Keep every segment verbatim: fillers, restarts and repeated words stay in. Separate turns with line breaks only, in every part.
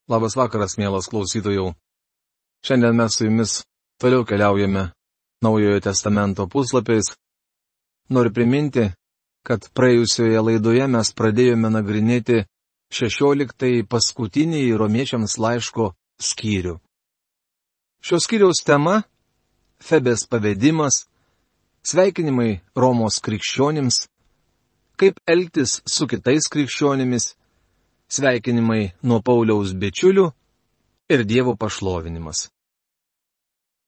Labas vakaras, mielas klausytojų. Šiandien mes su jumis toliau keliaujame Naujojo testamento puslapiais. Noriu priminti, kad praėjusioje laidoje mes pradėjome nagrinėti šešioliktąjį paskutinį Romiečiams laiško skyrių. Šios skyriaus tema - Febės pavedimas, sveikinimai Romos krikščionims, kaip elgtis su kitais krikščionimis, sveikinimai nuo Pauliaus bičiulių ir Dievo pašlovinimas.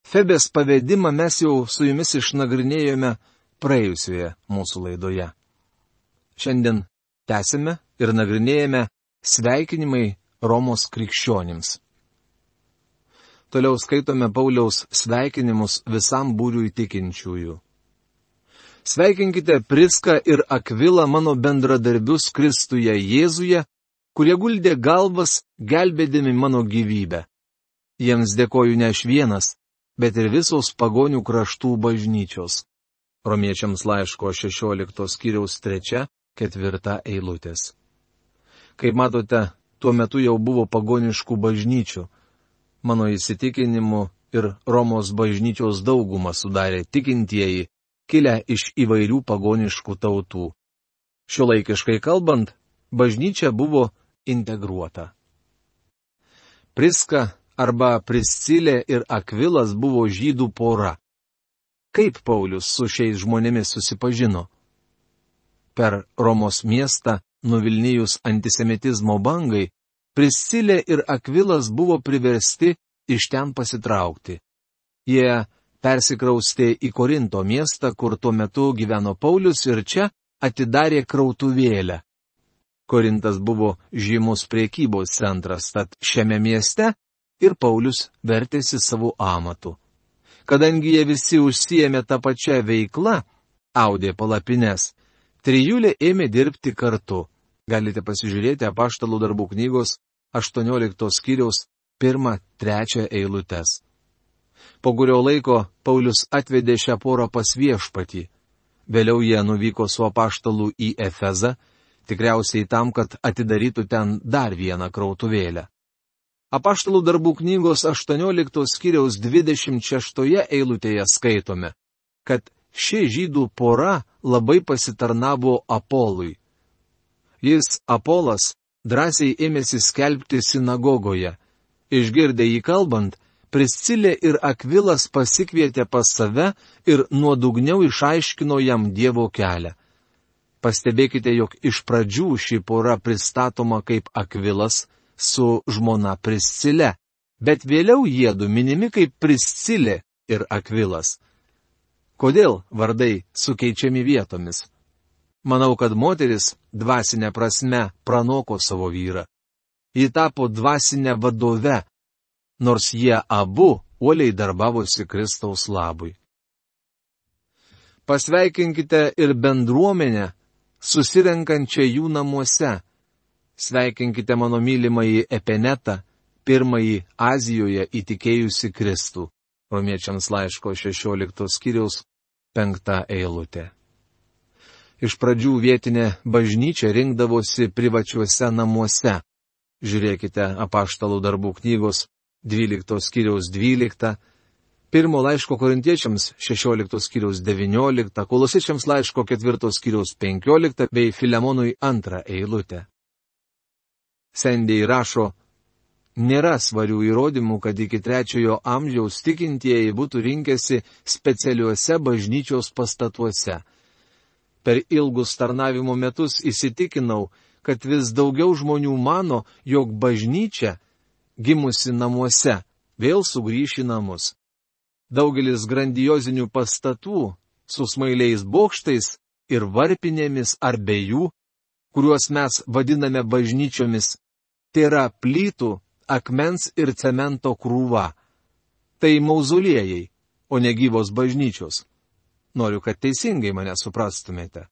Febės pavedimą mes jau su jumis išnagrinėjome praėjusioje mūsų laidoje. Šiandien tęsime ir nagrinėjame sveikinimai Romos krikščionims. Toliau skaitome Pauliaus sveikinimus visam būriui tikinčiųjų. Sveikinkite Priską ir Akvilą, mano bendradarbius Kristuje Jėzuje, kurie guldė galvas, gelbėdami mano gyvybę. Jiems dėkoju ne aš vienas, bet ir visos pagonių kraštų bažnyčios. Romiečiams laiško šešioliktos skyriaus trečia, ketvirta eilutės. Kaip matote, tuo metu jau buvo pagoniškų bažnyčių. Mano įsitikinimu ir Romos bažnyčios daugumą sudarė tikintieji, kilę iš įvairių pagoniškų tautų. Šiuolaikiškai kalbant, bažnyčia buvo integruota. Priska arba Priscilė ir Akvilas buvo žydų pora. Kaip Paulius su šiais žmonėmis susipažino? Per Romos miestą, nuvilnijus antisemitizmo bangai, Priscilė ir Akvilas buvo priversti iš ten pasitraukti. Jie persikraustė į Korinto miestą, kur tuo metu gyveno Paulius, ir čia atidarė krautuvėlę. Korintas buvo žymus priekybos centras, tad šiame mieste ir Paulius vertėsi savo amatu. Kadangi jie visi užsiėmė tą pačią veiklą, audė palapines, trijulė ėmė dirbti kartu. Galite pasižiūrėti Apaštalų darbų knygos aštuonioliktos skyriaus pirmą, trečią eilutes. Po kurio laiko Paulius atvedė šią porą pas Viešpatį. Vėliau jie nuvyko su apaštalu į Efezą, tikriausiai tam, kad atidarytų ten dar vieną krautuvėlę. Apaštalų darbų knygos aštuonioliktos skyriaus dvidešimt šeštoje eilutėje skaitome, kad ši žydų pora labai pasitarnavo Apolui. Jis, Apolas, drąsiai ėmėsi skelbti sinagogoje. Išgirdę jį kalbant, Priscilė ir Akvilas pasikvietė pas save ir nuodugniau išaiškino jam Dievo kelią. Pastebėkite, jog iš pradžių ši pora pristatoma kaip Akvilas su žmona Priscilė, bet vėliau jiedu minimi kaip Priscilė ir Akvilas. Kodėl vardai sukeičiami vietomis? Manau, kad moteris dvasinė prasme pranoko savo vyrą. Ji tapo dvasinė vadove, nors jie abu uoliai darbavosi Kristaus labui. Pasveikinkite ir bendruomenę, susirenkančią jų namuose. Sveikinkite mano mylimąjį Epenetą, pirmąjį Azijoje įtikėjusi Kristų. Romiečiams laiško šešioliktos skyriaus penkta eilutė. Iš pradžių vietinė bažnyčia rinkdavosi privačiuose namuose. Žiūrėkite Apaštalų darbų knygos dvyliktos skyriaus dvyliktą, pirmo laiško korintiečiams šešioliktos skyriaus devynioliktą, Kolosiečiams laiško ketvirtos skyriaus penkioliktą bei Filemonui antrą eilutę. Sendėjai rašo, nėra svarių įrodymų, kad iki trečiojo amžiaus tikintieji būtų rinkęsi specialiuose bažnyčios pastatuose. Per ilgus tarnavimo metus įsitikinau, kad vis daugiau žmonių mano, jog bažnyčia, gimusi namuose, vėl sugrįš į namus. Daugelis grandiozinių pastatų su smailiais bokštais ir varpinėmis ar be jų, kuriuos mes vadiname bažnyčiomis, tai yra plytų, akmens ir cemento krūva. Tai mauzoliejai, o ne gyvos bažnyčios. Noriu, kad teisingai mane suprastumėte.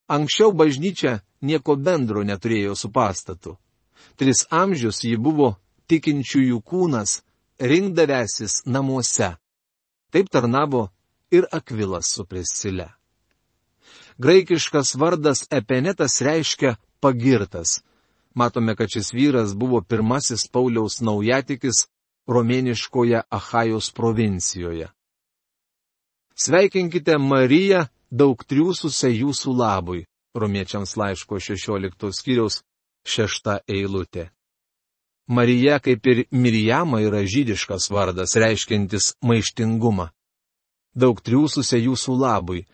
Anksčiau bažnyčia nieko bendro neturėjo su pastatu. Tris amžius ji buvo tikinčiųjų kūnas, rinkdavęsis namuose. Taip tarnavo ir Akvilas su Priscile. Graikiškas vardas Epenetas reiškia pagirtas. Matome, kad šis vyras buvo pirmasis Pauliaus naujatikis romėniškoje Achajos provincijoje. Sveikinkite Mariją, daug triūsusią jūsų labui. Romiečiams laiško šešioliktos skyriaus šešta eilutė. Marija, kaip ir Mirjama, yra žydiškas vardas, reiškiantis maištingumą. Daug triūsusią jūsų labui.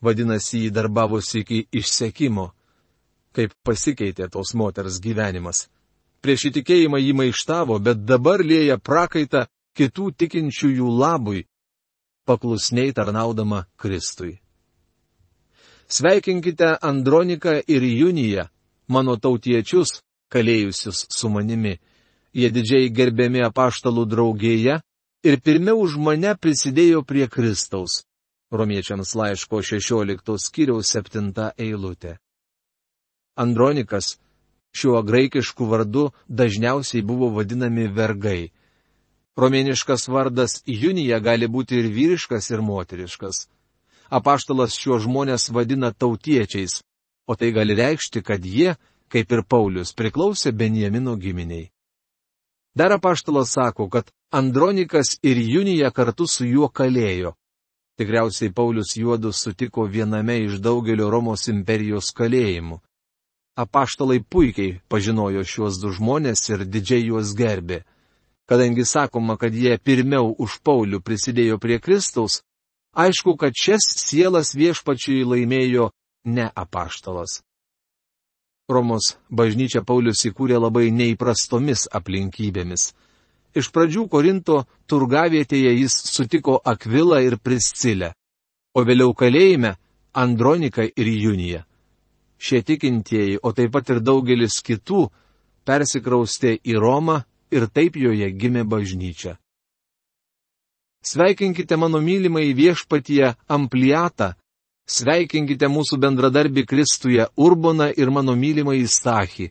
Vadinasi, jį darbavosi iki išsekimo. Kaip pasikeitė tos moters gyvenimas. Prieš įtikėjimą jį maištavo, bet dabar lieja prakaitą kitų tikinčiųjų labui, paklusniai tarnaudama Kristui. Sveikinkite Androniką ir Juniją, mano tautiečius, kalėjusius su manimi. Jie didžiai gerbiami apaštalų draugėje ir pirmiau už mane prisidėjo prie Kristaus. Romiečiams laiško šešioliktos skyriaus septinta eilutė. Andronikas šiuo graikišku vardu dažniausiai buvo vadinami vergai. Romėniškas vardas Junija gali būti ir vyriškas, ir moteriškas. Apaštalas šiuos žmonės vadina tautiečiais, o tai gali reikšti, kad jie, kaip ir Paulius, priklausė Benjamino giminiai. Dar apaštalas sako, kad Andronikas ir Junija kartu su juo kalėjo. Tikriausiai Paulius juodu sutiko viename iš daugelio Romos imperijos kalėjimų. Apaštalai puikiai pažinojo šiuos du žmonės ir didžiai juos gerbė. Kadangi sakoma, kad jie pirmiau už Paulių prisidėjo prie Kristaus, aišku, kad šias sielas viešpačiui laimėjo ne apaštalas. Romos bažnyčią Paulius įkūrė labai neįprastomis aplinkybėmis. Iš pradžių Korinto turgavietėje jis sutiko Akvilą ir Priscilę, o vėliau kalėjime Androniką ir Juniją. Šie tikintieji, o taip pat ir daugelis kitų, persikraustė į Romą ir taip joje gimė bažnyčia. Sveikinkite mano mylimąjį viešpatyje Ampliatą, sveikinkite mūsų bendradarbį Kristuje Urboną ir mano mylimąjį Stachį.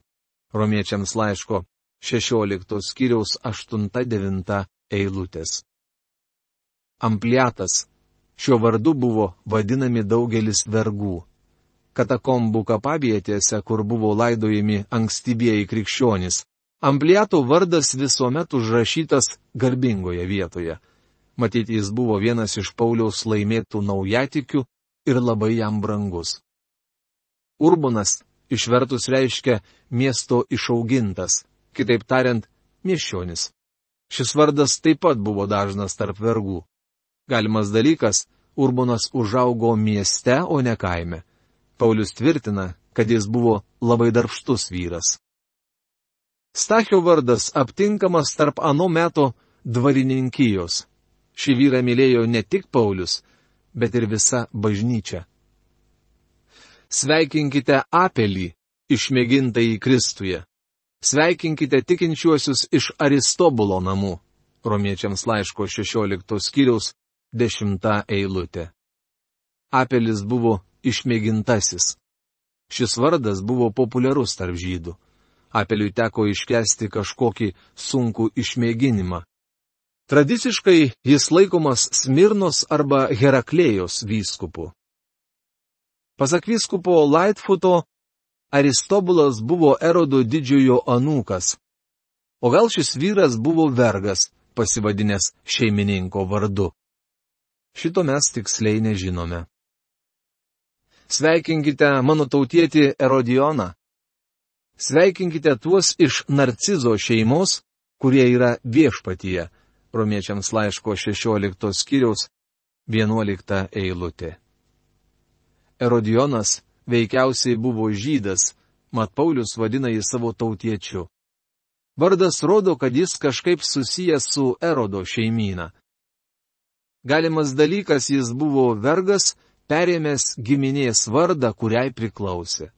Romiečiams laiško šešioliktos skyriaus aštunta devinta eilutės. Ampliatas. Šiuo vardu buvo vadinami daugelis vergų. Katakombų kapavietėse, kur buvo laidojami ankstyvieji krikščionys, Ampliato vardas visuomet užrašytas garbingoje vietoje. Matyt, jis buvo vienas iš Pauliaus laimėtų naujatikių ir labai jam brangus. Urbonas išvertus reiškia miesto išaugintas, kitaip tariant, miesčionis. Šis vardas taip pat buvo dažnas tarp vergų. Galimas dalykas, Urbonas užaugo mieste, o ne kaime. Paulius tvirtina, kad jis buvo labai darbštus vyras. Stachio vardas aptinkamas tarp ano meto dvarininkijos. Šį vyrą mylėjo ne tik Paulius, bet ir visa bažnyčia. Sveikinkite Apelį, išmėgintąjį Kristuje. Sveikinkite tikinčiuosius iš Aristobulo namų. Romiečiams laiško šešioliktos skyriaus dešimta eilutė. Apelis buvo išmėgintasis. Šis vardas buvo populiarus tarp žydų. Apeliui teko iškęsti kažkokį sunkų išmėginimą. Tradiciškai jis laikomas Smirnos arba Heraklėjos vyskupu. Pasak vyskupo Lightfooto, Aristobulas buvo Erodo didžiojo anūkas. O gal šis vyras buvo vergas, pasivadinęs šeimininko vardu? Šito mes tiksliai nežinome. Sveikinkite mano tautietį Erodioną. Sveikinkite tuos iš Narcizo šeimos, kurie yra viešpatyje. Romiečiams laiško šešioliktos skyriaus vienuolikta eilutė. Erodionas veikiausiai buvo žydas, mat Paulius vadina jį savo tautiečiu. Vardas rodo, kad jis kažkaip susijęs su Erodo šeimyna. Galimas dalykas, jis buvo vergas, perėmęs giminės vardą, kuriai priklausė.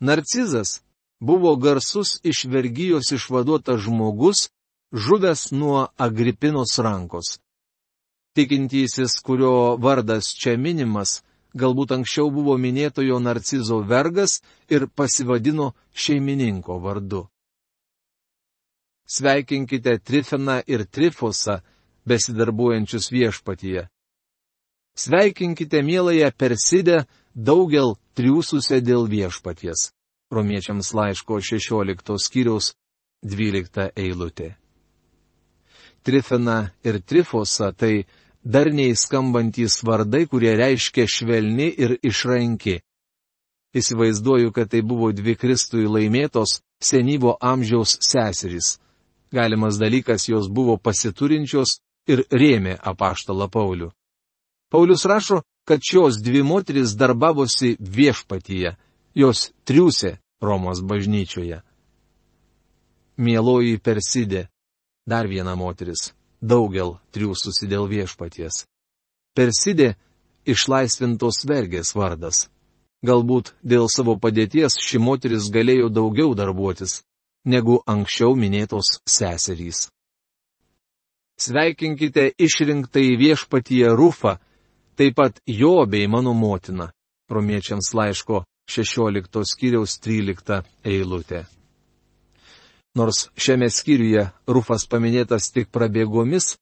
Narcizas buvo garsus iš vergijos išvaduotas žmogus, žuvęs nuo Agripinos rankos. Tikintysis, kurio vardas čia minimas, galbūt anksčiau buvo minėtojo Narcizo vergas ir pasivadino šeimininko vardu. Sveikinkite Trifeną ir Trifosą, besidarbuojančius viešpatyje. Sveikinkite mieląją Persidę, daugel triūsusią dėl viešpaties. Romiečiams laiško šešioliktos skyriaus dvylikta eilutė. Trifena ir Trifosa tai darniai skambantys vardai, kurie reiškia švelni ir išranki. Įsivaizduoju, kad tai buvo dvi Kristui laimėtos senyvo amžiaus seserys. Galimas dalykas, jos buvo pasiturinčios ir rėmė apaštalą Paulių. Paulius rašo, kad šios dvi moterys darbavosi viešpatyje, jos triūsė Romos bažnyčioje. Mieloji Persidė, dar viena moteris, daugel triūsusi dėl viešpaties. Persidė išlaisvintos vergės vardas. Galbūt dėl savo padėties ši moteris galėjo daugiau darbuotis, negu anksčiau minėtos seserys. Sveikinkite išrinktąjį viešpatyje Rufą, taip pat jo bei mano motina. Romiečiams laiško šešioliktos skyriaus trylikta eilutė. Nors šiame skyriuje Rufas paminėtas tik prabėgomis,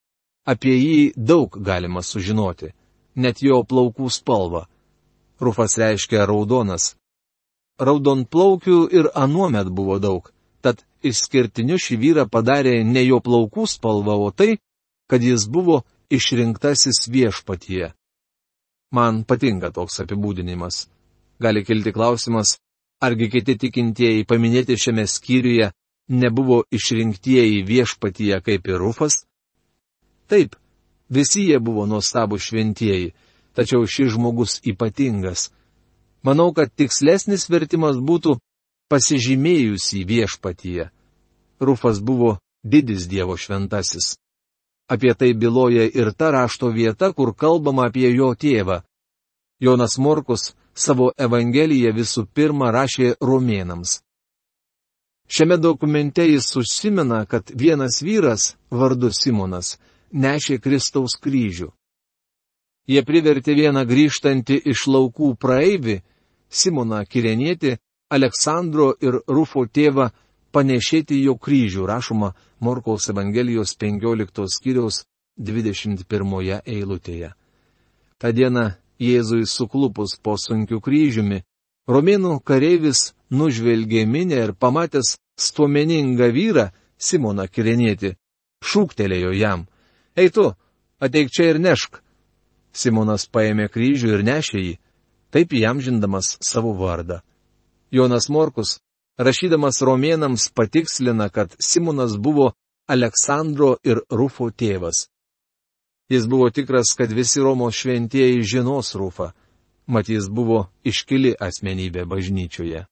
apie jį daug galima sužinoti, net jo plaukų spalvą. Rufas reiškia raudonas. Raudonplaukių ir anuomet buvo daug, tad išskirtiniu šį vyrą padarė ne jo plaukų spalva, o tai, kad jis buvo išrinktasis viešpatyje. Man patinka toks apibūdinimas. Gali kilti klausimas, argi kiti tikintieji paminėti šiame skyriuje nebuvo išrinktieji viešpatyje kaip ir Rufas? Taip, visi jie buvo nuostabūs šventieji, tačiau šis žmogus ypatingas. Manau, kad tikslesnis vertimas būtų pasižymėjusi viešpatyje. Rufas buvo didis Dievo šventasis. Apie tai byloja ir ta rašto vieta, kur kalbama apie jo tėvą. Jonas Morkus savo Evangeliją visų pirma rašė romėnams. Šiame dokumente jis užsimena, kad vienas vyras, vardu Simonas, nešė Kristaus kryžių. Jie privertė vieną grįžtantį iš laukų praeivį, Simoną Kirenietį, Aleksandro ir Rufo tėvą, panešėti jo kryžių, rašoma Morkaus Evangelijos penkioliktos skyriaus dvidešimt pirmoje eilutėje. Ta diena Jėzui suklupus po sunkiu kryžiumi, romėnų kareivis nužvelgė minę ir pamatęs stuomeningą vyrą, Simoną Kirenietį, šūktelėjo jam: Ei tu, ateik čia ir nešk. Simonas paėmė kryžių ir nešė jį, taip įamžindamas savo vardą. Jonas Morkus, rašydamas romėnams, patikslina, kad Simonas buvo Aleksandro ir Rufo tėvas. Jis buvo tikras, kad visi Romos šventieji žinos Rufą, mat jis buvo iškili asmenybė bažnyčioje.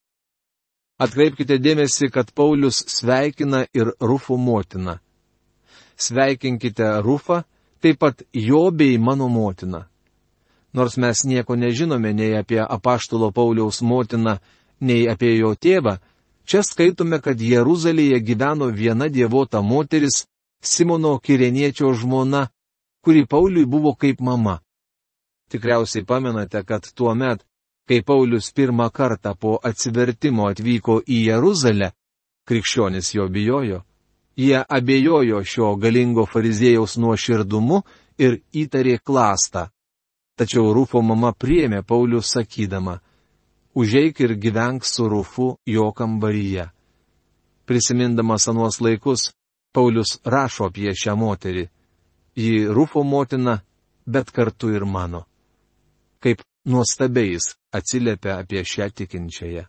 Atkreipkite dėmesį, kad Paulius sveikina ir Rufo motiną. Sveikinkite Rufą, taip pat jo bei mano motiną. Nors mes nieko nežinome nei apie apaštalo Pauliaus motiną, nei apie jo tėvą, čia skaitome, kad Jeruzalėje gyveno viena dievota moteris, Simono Kireniečio žmona, kuri Pauliui buvo kaip mama. Tikriausiai pamenate, kad tuo met, kai Paulius pirmą kartą po atsivertimo atvyko į Jeruzalę, krikščionis jo bijojo. Jie abejojo šio galingo fariziejaus nuoširdumu ir įtarė klastą. Tačiau Rufo mama priėmė Paulių sakydama: Užeik ir gyvenk su Rufu jo kambaryje. Prisimindamas anuos laikus, Paulius rašo apie šią moterį. Ji Rufo motina, bet kartu ir mano. Kaip nuostabiai jis atsiliepia apie šią tikinčiąją.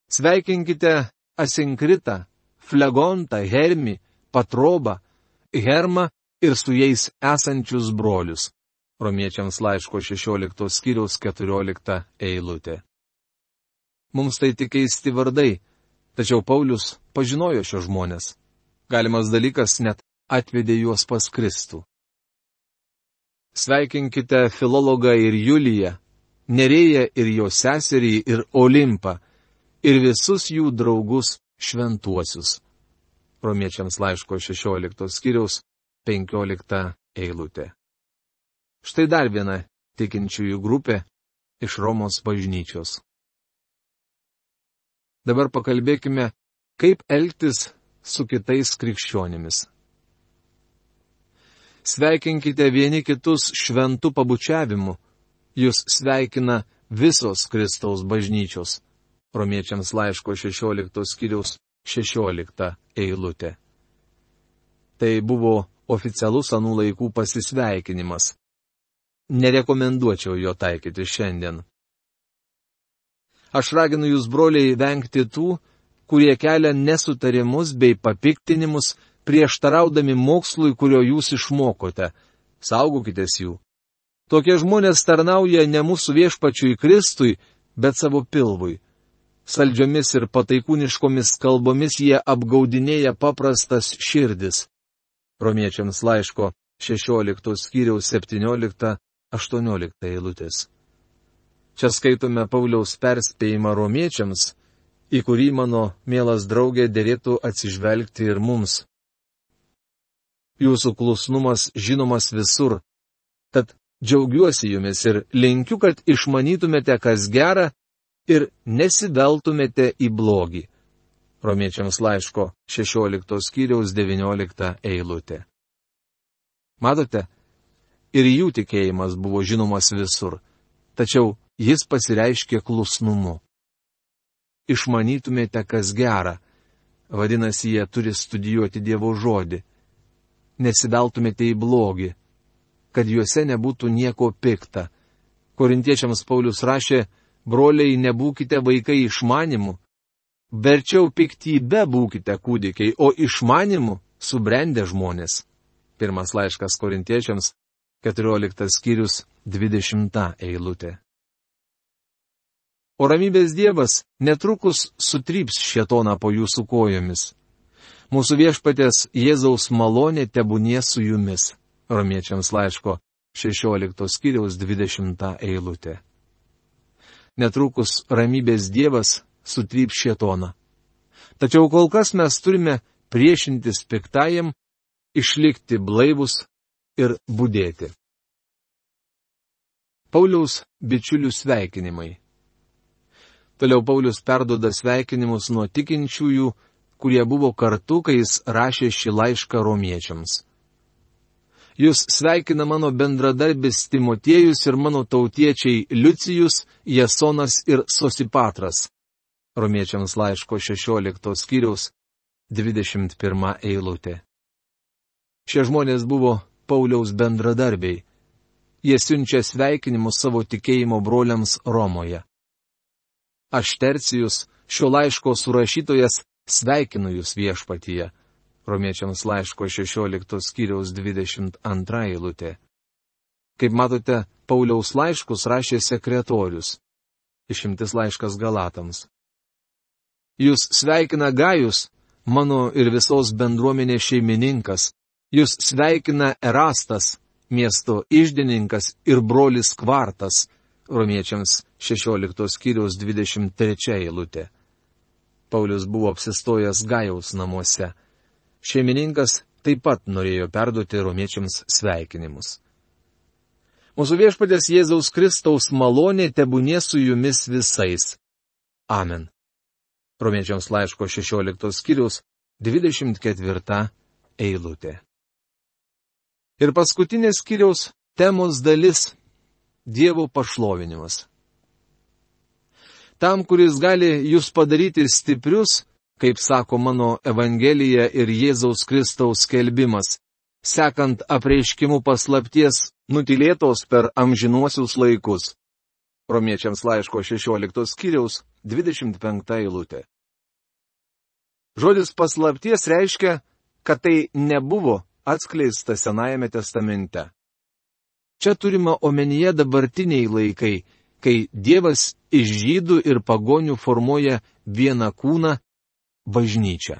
Sveikinkite Asinkritą, Flegontą, Hermį, Patrobą, Hermą ir su jais esančius brolius. Romiečiams laiško šešioliktos skyriaus keturiolikta eilutė. Mums tai tik keisti vardai, tačiau Paulius pažinojo šios žmonės. Galimas dalykas, net atvedė juos pas Kristų. Sveikinkite Filologą ir Juliją, Nerėją ir jo seserį ir Olimpą, ir visus jų draugus šventuosius. Romiečiams laiško šešioliktos skyriaus penkiolikta eilutė. Štai dar viena tikinčiųjų grupė iš Romos bažnyčios. Dabar pakalbėkime, kaip elgtis su kitais krikščionimis. Sveikinkite vieni kitus šventu pabučiavimu. Jūs sveikina visos Kristaus bažnyčios. Romiečiams laiško šešioliktos skyriaus šešiolikta eilutė. Tai buvo oficialus anų laikų pasisveikinimas. Nerekomenduočiau jo taikyti šiandien. Aš raginu jūs, broliai, vengti tų, kurie kelia nesutarimus bei papiktinimus, prieštaraudami mokslui, kurio jūs išmokote. Saugokitės jų. Tokie žmonės tarnauja ne mūsų viešpačiui Kristui, bet savo pilvui. Saldžiomis ir pataikūniškomis kalbomis jie apgaudinėja paprastas širdis. Romiečiams laiško šešioliktos skyriaus septyniolikta aštuoniolikta eilutės. Čia skaitome Pauliaus perspėjimą romiečiams, į kurį mano mielas draugė dėrėtų atsižvelgti ir mums. Jūsų klusnumas žinomas visur, tad džiaugiuosi jumis ir linkiu, kad išmanytumėte, kas gera, ir nesiveltumėte į blogį. Romiečiams laiško šešioliktos skyriaus devyniolikta eilutė. Matote, ir jų tikėjimas buvo žinomas visur, tačiau jis pasireiškė klusnumu. Išmanytumėte, kas gera, vadinasi, jie turi studijuoti Dievo žodį. Nesiveltumėte į blogį, kad juose nebūtų nieko pikta. Korintiečiams Paulius rašė, broliai, nebūkite vaikai išmanimu, verčiau piktybe būkite kūdikiai, o išmanimu subrendę žmonės. Pirmas laiškas Korintiečiams, keturioliktas skyrius, dvidešimta eilutė. O ramybės Dievas netrukus sutryps šėtoną po jūsų kojomis. Mūsų viešpaties Jėzaus malonė tebūnie su jumis. Romiečiams laiško šešioliktos skyriaus dvidešimta eilutė. Netrukus ramybės Dievas sutryps šėtoną. Tačiau kol kas mes turime priešintis piktajam, išlikti blaivus ir budėti. Pauliaus bičiulių sveikinimai. Toliau Paulius perduoda sveikinimus nuo tikinčiųjų, kurie buvo kartu, kai jis rašė šį laišką romiečiams. Jūs sveikina mano bendradarbis Timotiejus ir mano tautiečiai Liucijus, Jasonas ir Sosipatras. Romiečiams laiško šešioliktos skyriaus dvidešimt pirma eilutė. Šie žmonės buvo Pauliaus bendradarbiai. Jie siunčia sveikinimus savo tikėjimo broliams Romoje. Aš Tercijus, šio laiško surašytojas, sveikinu jūs viešpatyje. Romiečiams laiško šešioliktos skyriaus dvidešimt antra eilutė. Kaip matote, Pauliaus laiškus rašė sekretorius. Išimtis laiškas Galatams. Jūs sveikina Gajus, mano ir visos bendruomenės šeimininkas. Jūs sveikina Erastas, miesto iždininkas ir brolis Kvartas. Romiečiams šešioliktos skyriaus dvidešimt trečia eilutė. Paulius buvo apsistojęs Gajaus namuose. Šeimininkas taip pat norėjo perduoti romiečiams sveikinimus. Mūsų viešpaties Jėzaus Kristaus malonė tebūnie su jumis visais. Amen. Romiečiams laiško šešioliktos skyriaus dvidešimt ketvirta eilutė. Ir paskutinės skyriaus temos dalis – Dievo pašlovinimas. Tam, kuris gali jūs padaryti stiprius, kaip sako mano Evangelija ir Jėzaus Kristaus skelbimas, sekant apreiškimu paslapties nutylėtos per amžinuosius laikus. Romiečiams laiško šešioliktos skyriaus dvidešimt penkta eilutė. Žodis paslapties reiškia, kad tai nebuvo atskleista Senajame testamente. Čia turima omenyje dabartiniai laikai, kai Dievas iš žydų ir pagonių formuoja vieną kūną – bažnyčią.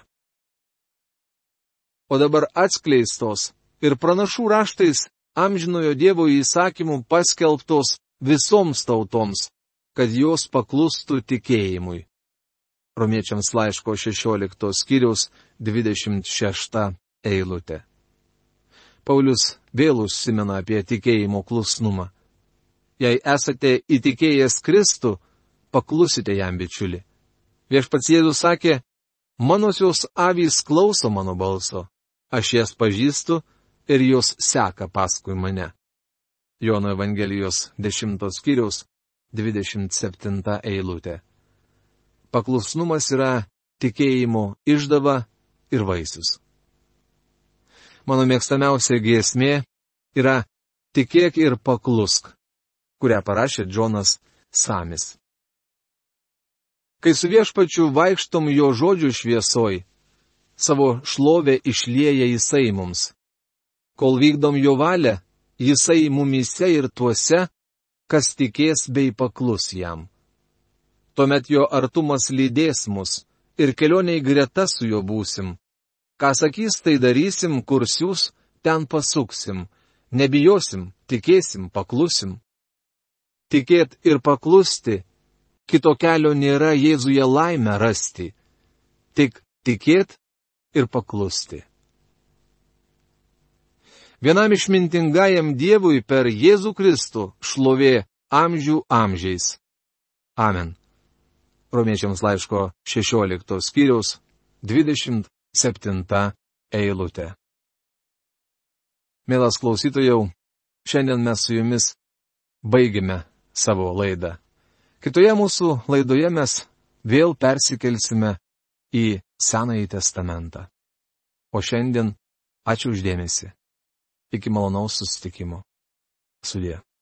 O dabar atskleistos ir pranašų raštais amžinojo Dievo įsakymų paskelbtos visoms tautoms, kad jos paklustų tikėjimui. Romiečiams laiško šešioliktos skyriaus dvidešimt šešta eilutė. Paulius vėl užsimena apie tikėjimo klusnumą. Jei esate įtikėjęs Kristų, paklusite jam, bičiuli. Viešpats Jėzus sakė, manosios avys klauso mano balso, aš jas pažįstu ir jos seka paskui mane. Jono Evangelijos dešimtos skyriaus dvidešimt septinta eilutė. Paklusnumas yra tikėjimo išdava ir vaisius. Mano mėgstamiausia giesmė yra Tikėk ir paklusk, kurią parašė Džonas Samis. Kai su viešpačiu vaikštom jo žodžių šviesoj, savo šlovę išlieja jisai mums. Kol vykdom jo valią, jisai mumyse ir tuose, kas tikės bei paklus jam. Tuomet jo artumas lydės mus ir kelioniai greta su juo būsim. Ką sakys, tai darysim, kur siūs, ten pasuksim. Nebijosim, tikėsim, paklusim. Tikėt ir paklusti, kito kelio nėra Jėzuje laimę rasti. Tik tikėt ir paklusti. Vienam išmintingajam Dievui per Jėzų Kristų šlovė amžių amžiais. Amen. Romiečiams laiško šešiolikto skyriaus dvidešimt septinta eilutė. Mielas klausytojau, šiandien mes su jumis baigime savo laidą. Kitoje mūsų laidoje mes vėl persikelsime į Senąjį testamentą. O šiandien ačiū uždėmesi. Iki malonaus susitikimo. Sudie.